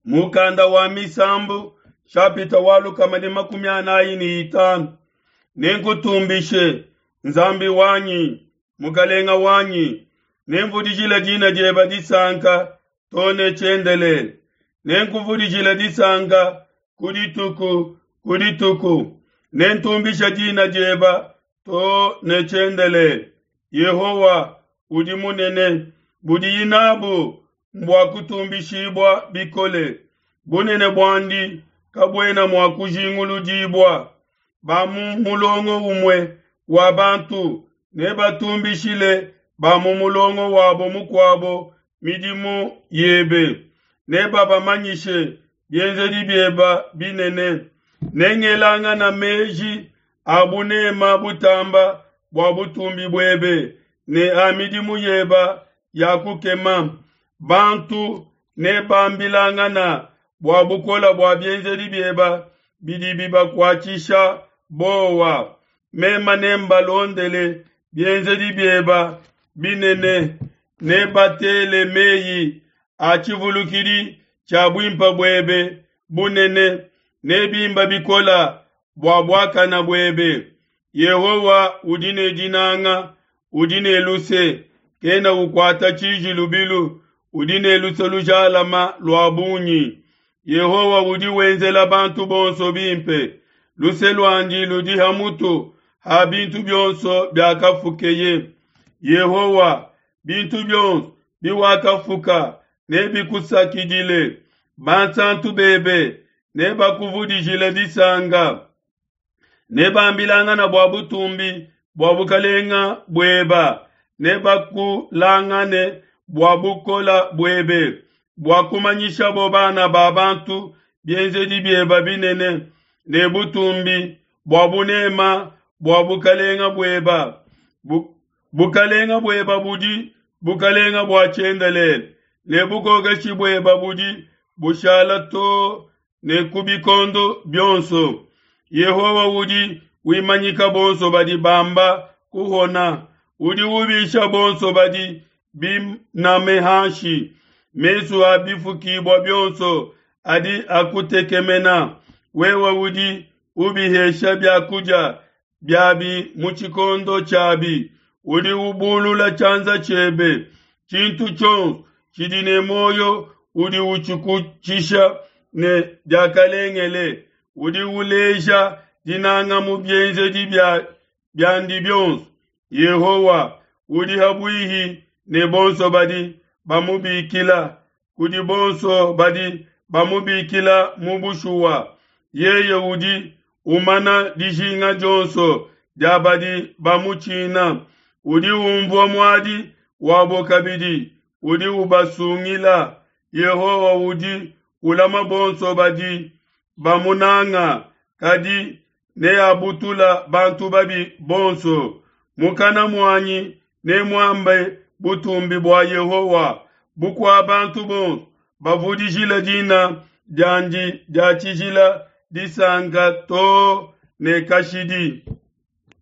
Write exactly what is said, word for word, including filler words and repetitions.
Mukanda wa Misambu shapita wa lukama ne makumi anayi ne itanu. Nenkutumbishe Nzambi wanyi, Mukalenga wanyi, nemvudijile dina diebe disanka too ne tshiendelele. Nenkuvudijile disanka ku dituku ku dituku, nentumbishe dina diebe too ne tshiendelele. Yehowa udi munene, budiyi nabu mbua kutumbishibua bikole. Bunene buandi kabuena mua kujinguludibua. Ba mu mulongo umue wa bantu nebatumbishile ba mu mulongo wabo mukuabo midimu yebe, nebabamanyishe bienzedi biebe binene. Nengelangana meji a bunema butamba bua butumbi buebe ne a midimu yebe ya kukema. Bantu nebambilangana bua bukole bua bienzedi biebe bidi bibakuatshisha bowa. Meme nembalondele bienzedi biebe binene, nebatele meyi a tshivulukidi tshia buimpe buebe bunene, nebimba bikole bua buakane buebe. Yehowa udi ne dinanga, udi ne luse, kena ukuata tshiji lubilu, udi ne luse lujalama lua bungi. Yehowa udi wenzela bantu bonso bimpe, luse luandi ludi ha mutu ha bintu bionso biakafukeye. Yehowa, bintu bionso biwakafuka nebikusakidile, bansantu bebe nebakuvudijile disanka. Nebambilangana bua butumbi bua bukalenga bueba, nebakulangane bua bukole buebe, bua kumanyishabo bana ba bantu bienzedi biebe binene ne butumbi bua bunema bua bukalenga bueba. Bu, bukalenga bueba budi bukalenga bua tshiendelele, ne bukokeshi bueba budi bushala too ne ku bikondo bionso. Yehowa udi wimanyika bonso badi bamba kuhona, udi ubisha bonso badi biname hanshi. Mesu a bifukibua bionso adi akutekemena, wewe udi ubihesha biakudia biabi mu tshikondo tshiabi, udi ubulula tshianza tshiebe. Tshintu tshionso tshidi ne muoyo udi utshikutshisha ne diakalengele, udi uleja dinanga mu bienzedi bia biandi bionso. Yehowa udi ha buihi ne bonso badi bamubikila, kudi bonso badi bamubikila mu bushuwa. Yeye udi umana dijinga dionso dia badi bamutshina, udi umvua muadi wabo kabidi, udi ubasungila. Yehowa udi ulama bonso badi bamunanga, kadi neabutula bantu babi bonso. Mukana muanyi nemuambe butumbi bua Yehowa, bukua bantu bonso bavudijile dina diandi dia tshijila disanka too ne kashidi.